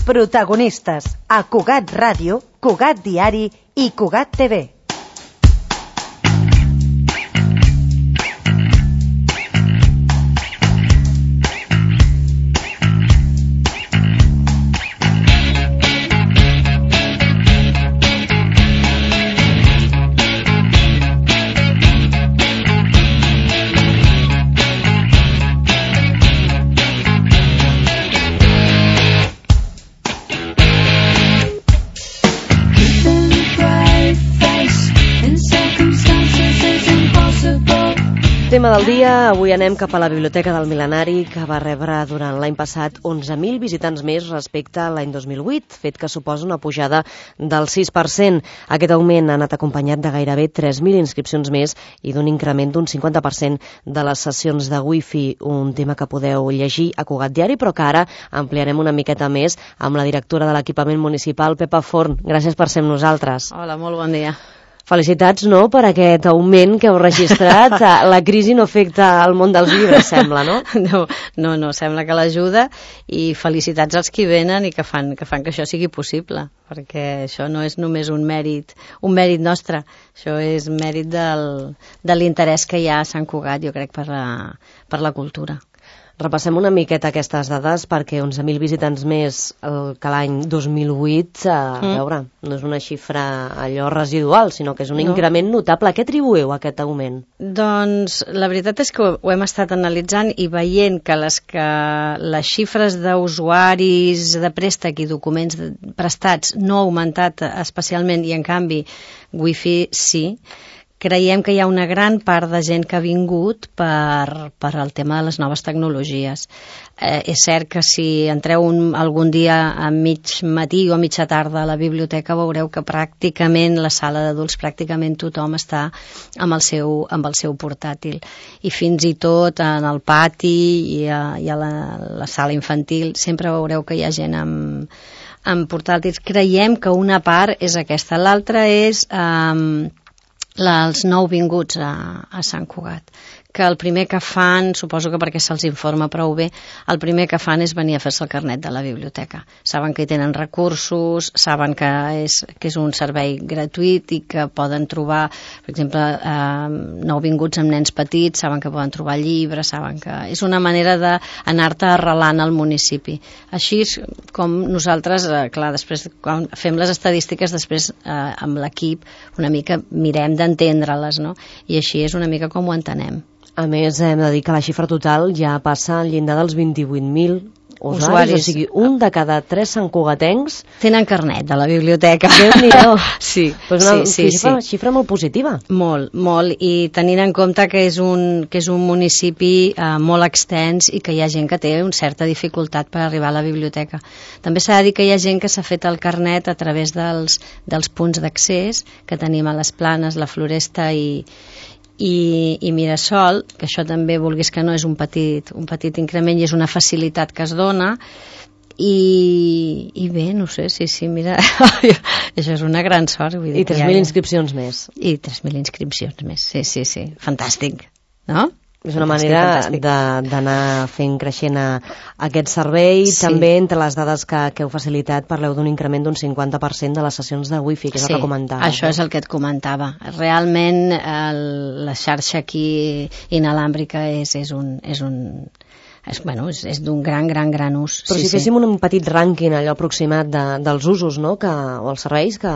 Protagonistes a Cugat Ràdio, Cugat Diari i Cugat TV. Tema del dia, avui anem cap a la Biblioteca del Mil·lenari, que va rebre durant l'any passat 11.000 visitants més respecte a l'any 2008, fet que suposa una pujada del 6%. Aquest augment ha anat acompanyat de gairebé 3.000 inscripcions més i d'un increment d'un 50% de les sessions de wifi, un tema que podeu llegir a Cugat Diari, però que ara ampliarem una miqueta més amb la directora de l'equipament municipal, Pepa Forn. Gràcies per ser amb nosaltres. Hola, molt bon dia. Felicitats, no?, per aquest augment que heu registrat. La crisi no afecta el món dels llibres, sembla, no? No, sembla que l'ajuda, i felicitats als qui venen i que fan que això sigui possible, perquè això no és només un mèrit nostre, això és mèrit de l'interès que hi ha a Sant Cugat, jo crec, per la cultura. Repassem una miqueta aquestes dades, perquè 11.000 visitants més que l'any 2008, a veure, no és una xifra allò residual, sinó que és un increment notable. A què atribueu aquest augment? Doncs la veritat és que ho hem estat analitzant i veient que les xifres d'usuaris de préstec i documents prestats no ha augmentat especialment, i en canvi Wi-Fi sí. Creiem que hi ha una gran part de gent que ha vingut per al tema de les noves tecnologies. És cert que si entreu algun dia a mig matí o a mitja tarda a la biblioteca veureu que pràcticament la sala d'adults, pràcticament tothom està amb el seu portàtil. I fins i tot en el pati i a la sala infantil sempre veureu que hi ha gent amb portàtils. Creiem que una part és aquesta. L'altra és els nouvinguts a Sant Cugat, que el primer que fan, suposo que perquè se'ls informa prou bé, el primer que fan és venir a fer-se el carnet de la biblioteca. Saben que hi tenen recursos, saben que és un servei gratuït i que poden trobar, per exemple, nouvinguts amb nens petits, saben que poden trobar llibres, saben que és una manera d'anar-te arrelant al municipi. Així és com nosaltres, clar, després, quan fem les estadístiques, després amb l'equip una mica mirem d'entendre-les, no? I així és una mica com ho entenem. A més, hem de dir que la xifra total ja passa al llindar dels 28.000 usuaris, o sigui, un de cada 3 santcugatencs tenen carnet de la biblioteca. Déu-n'hi-do. Sí, xifra molt positiva. Molt, i tenint en compte que és un municipi molt extens i que hi ha gent que té una certa dificultat per arribar a la biblioteca. També s'ha de dir que hi ha gent que s'ha fet el carnet a través dels punts d'accés que tenim a les Planes, la Floresta i Mirasol, que això també, vulguis que no, és un petit increment i és una facilitat que es dona. I bé, no sé, sí, mira, això és una gran sort. Vull dir, I 3.000 inscripcions més. I 3.000 inscripcions més, sí, fantàstic, no? És una manera d'anar fent creixent aquest servei. Sí. També entre les dades que heu facilitat parleu d'un increment d'un 50% de les sessions de wifi, que és el que comentava. Sí, això és el que et comentava. Realment la xarxa aquí inalàmbrica és d'un gran ús. Però si féssim un petit rànquing allò aproximat dels usos, no? O els serveis que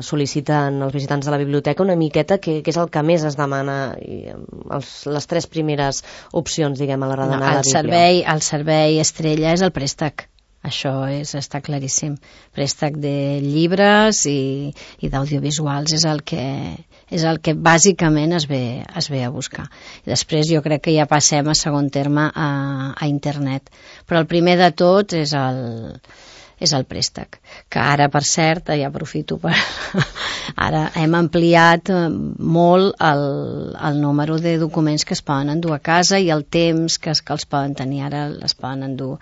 sol·liciten els visitants de la biblioteca, una miqueta, què és el que més es demana, les 3 primeres opcions, diguem, a l'hora d'anar a la bíblia? El servei estrella és el préstec. Això està claríssim. Préstec de llibres i d'audiovisuals és el que bàsicament es ve a buscar. I després jo crec que ja passem a segon terme a internet. Però el primer de tot és el préstec, que ara, per cert, ja aprofito ara hem ampliat molt el número de documents que es poden endur a casa i el temps que els poden tenir. Ara es poden endur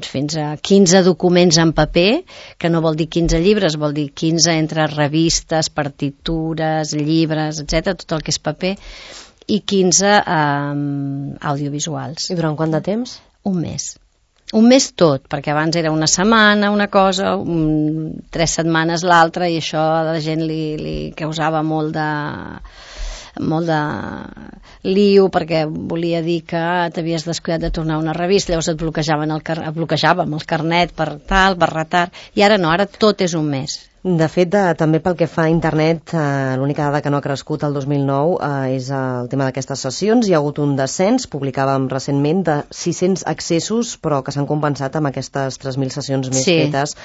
fins a 15 documents en paper, que no vol dir 15 llibres, vol dir 15 entre revistes, partitures, llibres, etc., tot el que és paper, i 15 audiovisuals. I durant quant de temps? Un mes. Un mes tot, perquè abans era una setmana una cosa, 3 setmanes l'altra, i això a la gent li causava molt de lío, perquè volia dir que t'havies descuidat de tornar a una revista, llavors et bloquejàvem el carnet per retard, i ara no, ara tot és un mes. De fet, també pel que fa a internet, l'única dada que no ha crescut el 2009 és el tema d'aquestes sessions. Hi ha hagut un descens, publicàvem recentment, de 600 accessos, però que s'han compensat amb aquestes 3.000 sessions més fetes,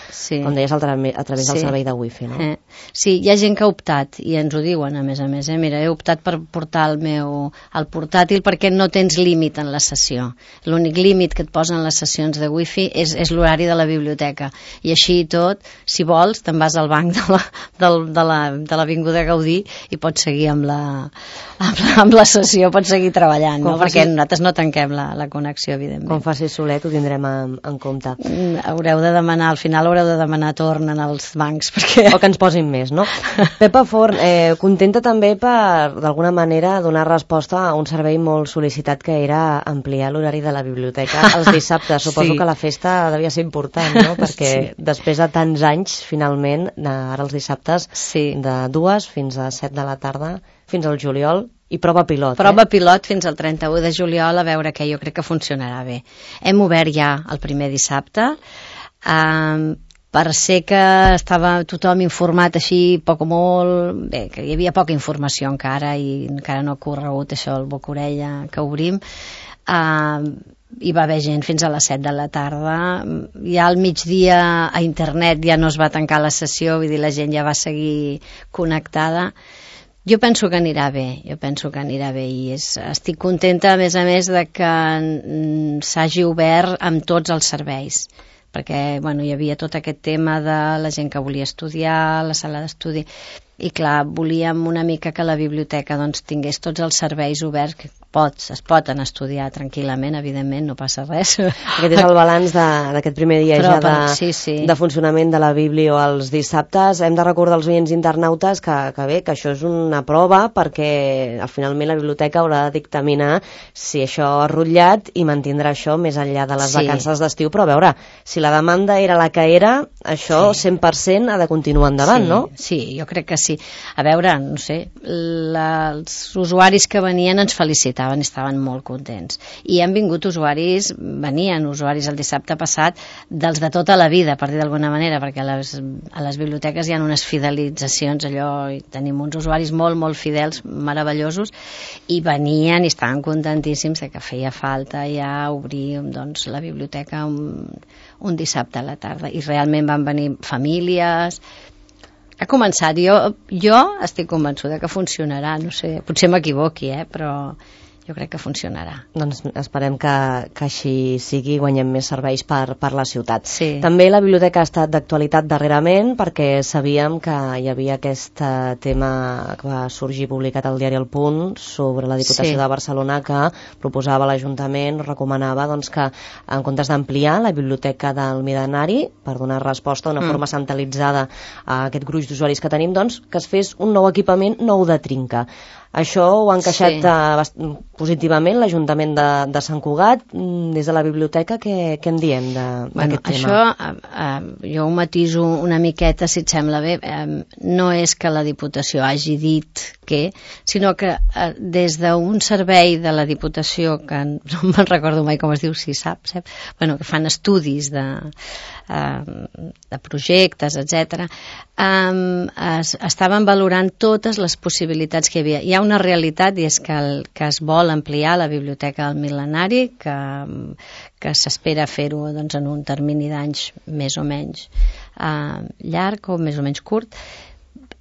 com deies, a través del servei de wifi, no? Sí, hi ha gent que ha optat, i ens ho diuen, a més. Mira, he optat per portar el portàtil perquè no tens límit en la sessió. L'únic límit que et posen les sessions de wifi és l'horari de la biblioteca. I així i tot, si vols, te'n vas al banc de l'Avinguda Gaudí i pots seguir amb la sessió, pots seguir treballant, no? Perquè nosaltres no tanquem la connexió, evidentment. Com faci solet, ho tindrem en compte. Haureu de demanar, al final haureu de demanar torn en els bancs, perquè... O que ens posin més, no? Pepa Forn, contenta també per, d'alguna manera, donar resposta a un servei molt sol·licitat que era ampliar l'horari de la biblioteca els dissabtes. Suposo que la festa devia ser important, no? Perquè després de tants anys, finalment, ara els dissabtes, de 2 fins a 7 de la tarda, fins al juliol, i prova pilot. Prova pilot fins al 31 de juliol, a veure què, jo crec que funcionarà bé. Hem obert ja el primer dissabte, per ser que estava tothom informat així, poc o molt, bé, que hi havia poca informació encara, i encara no ha corregut això, el boca-orella que obrim, hi va haver gent fins a les 7 de la tarda. Ja al migdia a internet ja no es va tancar la sessió, vull dir, la gent ja va seguir connectada. Jo penso que anirà bé, i estic contenta, a més, de que s'hagi obert amb tots els serveis, perquè hi havia tot aquest tema de la gent que volia estudiar, la sala d'estudi, i clar, volíem una mica que la biblioteca tingués tots els serveis oberts, que es poden estudiar tranquil·lament, evidentment, no passa res. Aquest és el balanç d'aquest primer dia de funcionament de la Biblio els dissabtes. Hem de recordar als oients internautes que això és una prova, perquè finalment la biblioteca haurà de dictaminar si això ha rutllat i mantindrà això més enllà de les vacances d'estiu, però a veure, si la demanda era la que era, això 100% ha de continuar endavant, no? Sí, jo crec que sí. A veure, no sé, els usuaris que venien ens felicitaven, estaven molt contents. I han vingut venien usuaris el dissabte passat dels de tota la vida, per dir d'alguna manera, perquè a les biblioteques hi ha unes fidelitzacions, i tenim uns usuaris molt, molt fidels, meravellosos, i venien i estaven contentíssims que feia falta ja obrir la biblioteca un dissabte a la tarda. I realment van venir famílies. Ha començat. Jo estic convençuda que funcionarà, no sé, potser m'equivoqui, però jo crec que funcionarà. Doncs esperem que així sigui, guanyem més serveis per la ciutat. Sí. També la biblioteca ha estat d'actualitat darrerament, perquè sabíem que hi havia aquest tema que va sorgir publicat al diari El Punt sobre la Diputació de Barcelona, que proposava l'Ajuntament, recomanava que en comptes d'ampliar la biblioteca del Mil·lenari per donar resposta d'una forma centralitzada a aquest gruix d'usuaris que tenim, que es fes un nou equipament nou de trinca. Això ho ha encaixat positivament l'Ajuntament de Sant Cugat. Des de la biblioteca, què en diem d'aquest tema? Això jo ho matiso una miqueta, si et sembla bé. No és que la Diputació hagi dit sinó que des d'un servei de la Diputació, que no me'n recordo mai com es diu, si saps, que fan estudis de projectes, etc., estaven valorant totes les possibilitats que hi havia. Hi ha una realitat, i és que es vol ampliar la biblioteca del Mil·lenari, que s'espera fer-ho en un termini d'anys més o menys llarg o més o menys curt,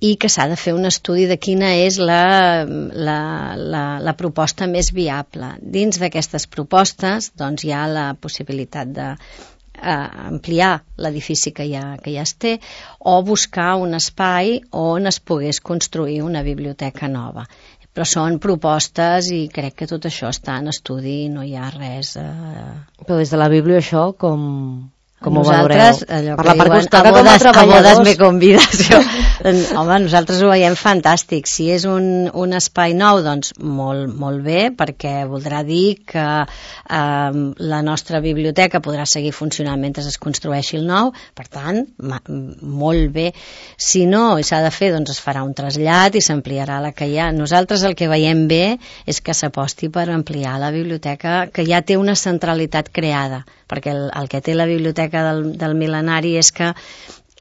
i que s'ha de fer un estudi de quina és la proposta més viable. Dins d'aquestes propostes hi ha la possibilitat d'ampliar l'edifici que ja es té, o buscar un espai on es pogués construir una biblioteca nova. Però són propostes i crec que tot això està en estudi, no hi ha res... Però des de la Bíblia això com ho nosaltres, valoreu? Allò que diuen, a bodes me convides. Home, nosaltres ho veiem fantàstic. Si és un espai nou, doncs molt bé, perquè voldrà dir que la nostra biblioteca podrà seguir funcionant mentre es construeixi el nou, per tant, molt bé. Si no, i s'ha de fer, doncs es farà un trasllat i s'ampliarà la que hi ha. Nosaltres el que veiem bé és que s'aposti per ampliar la biblioteca, que ja té una centralitat creada, perquè el que té la biblioteca del Mil·lenari és que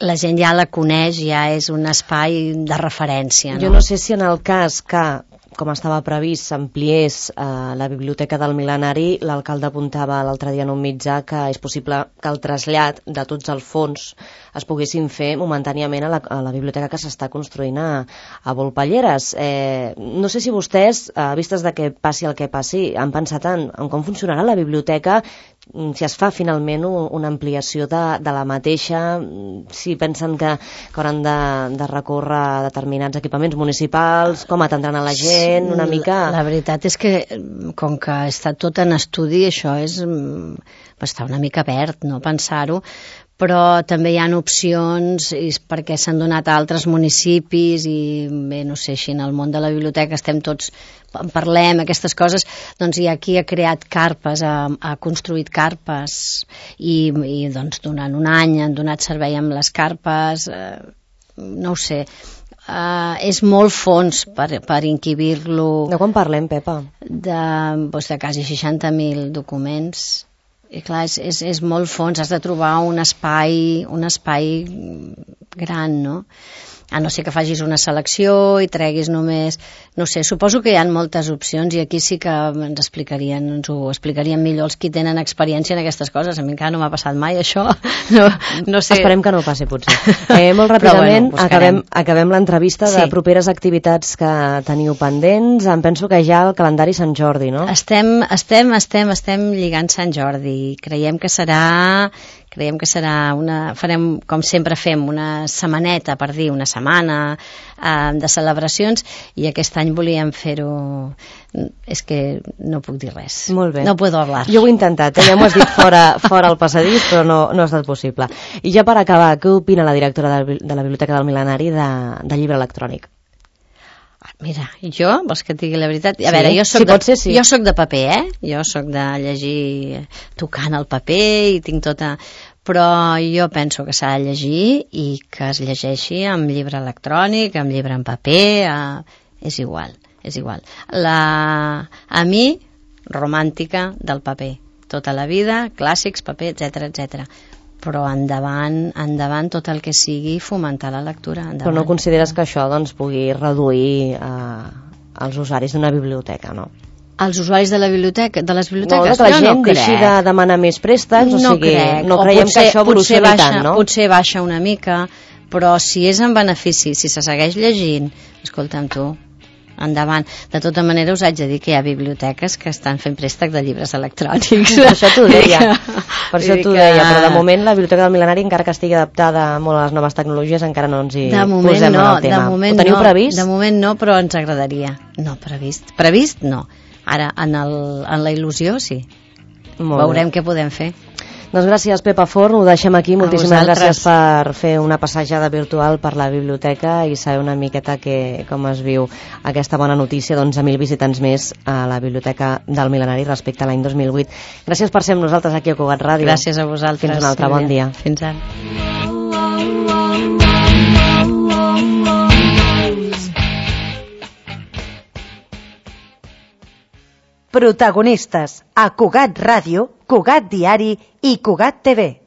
la gent ja la coneix, ja és un espai de referència. Jo no sé si en el cas que, com estava previst, s'ampliés la biblioteca del Mil·lenari, l'alcalde apuntava l'altre dia en un mitjà que és possible que el trasllat de tots els fons es poguessin fer momentàniament a la biblioteca que s'està construint a Volpelleres. No sé si vostès, vistes de que passi el que passi, han pensat en com funcionarà la biblioteca, si es fa finalment una ampliació de la mateixa, si pensen que hauran de recórrer determinats equipaments municipals, com atendran a la gent, una mica... La veritat és que, com que està tot en estudi, això està una mica verd, no pensar-ho, però també hi ha opcions perquè s'han donat a altres municipis i bé, no sé, si en el món de la biblioteca estem tots, parlem aquestes coses, doncs hi ha qui ha creat carpes, ha construït carpes i doncs durant un any han donat servei amb les carpes, no ho sé, és molt fons per inquibir-lo. De quan parlem, Pepa? De quasi 60.000 documents. I clar, és molt fons, has de trobar un espai gran, no? A no ser que facis una selecció i treguis només... No sé, suposo que hi ha moltes opcions i aquí sí que ens ho explicarien millor els qui tenen experiència en aquestes coses. A mi encara no m'ha passat mai això. No sé. Esperem que no passi, potser. Molt ràpidament, acabem l'entrevista de properes activitats que teniu pendents. Em penso que ja el calendari Sant Jordi, no? Estem lligant Sant Jordi. Creiem que serà farem, com sempre fem, una setmaneta, per dir, una setmana de celebracions, i aquest any volíem fer-ho... És que no puc dir res. Molt bé. No puedo hablar. Jo ho he intentat, ja m'ho has dit fora al passadís, però no ha estat possible. I ja per acabar, què opina la directora de la Biblioteca del Mil·lenari de llibre electrònic? Mira, vols que et digui la veritat? A veure, jo soc de paper, Jo soc de llegir tocant el paper i tinc tota... Però jo penso que s'ha de llegir i que es llegeixi amb llibre electrònic, amb llibre en paper, és igual. A mi, romàntica del paper. Tota la vida, clàssics, paper, etc. Però endavant tot el que sigui fomentar la lectura. Endavant. Però no consideres que això pugui reduir els usuaris d'una biblioteca, no? Els usuaris de les biblioteques? No, que la gent deixi de demanar més préstecs, no creiem que això evolucioni tant, no? Potser baixa una mica, però si és en benefici, si se segueix llegint, escolta'm tu, endavant. De tota manera us haig de dir que hi ha biblioteques que estan fent préstec de llibres electrònics. Per això t'ho deia, però de moment la Biblioteca del Mil·lenari, encara que estigui adaptada molt a les noves tecnologies, encara no ens hi posem en el tema. Ho teniu previst? De moment no, però ens agradaria. No, previst no. Ara, en la il·lusió, sí. Veurem què podem fer. Doncs gràcies, Pepa Forn, ho deixem aquí. Moltíssimes gràcies per fer una passejada virtual per la biblioteca i saber una miqueta com es viu aquesta bona notícia d'11.000 visitants més a la Biblioteca del Mil·lenari respecte a l'any 2008. Gràcies per ser amb nosaltres aquí a Cugat Ràdio. Gràcies a vosaltres. Fins un altre bon dia. Fins ara. Protagonistes a Cugat Ràdio, Cugat Diari i Cugat TV.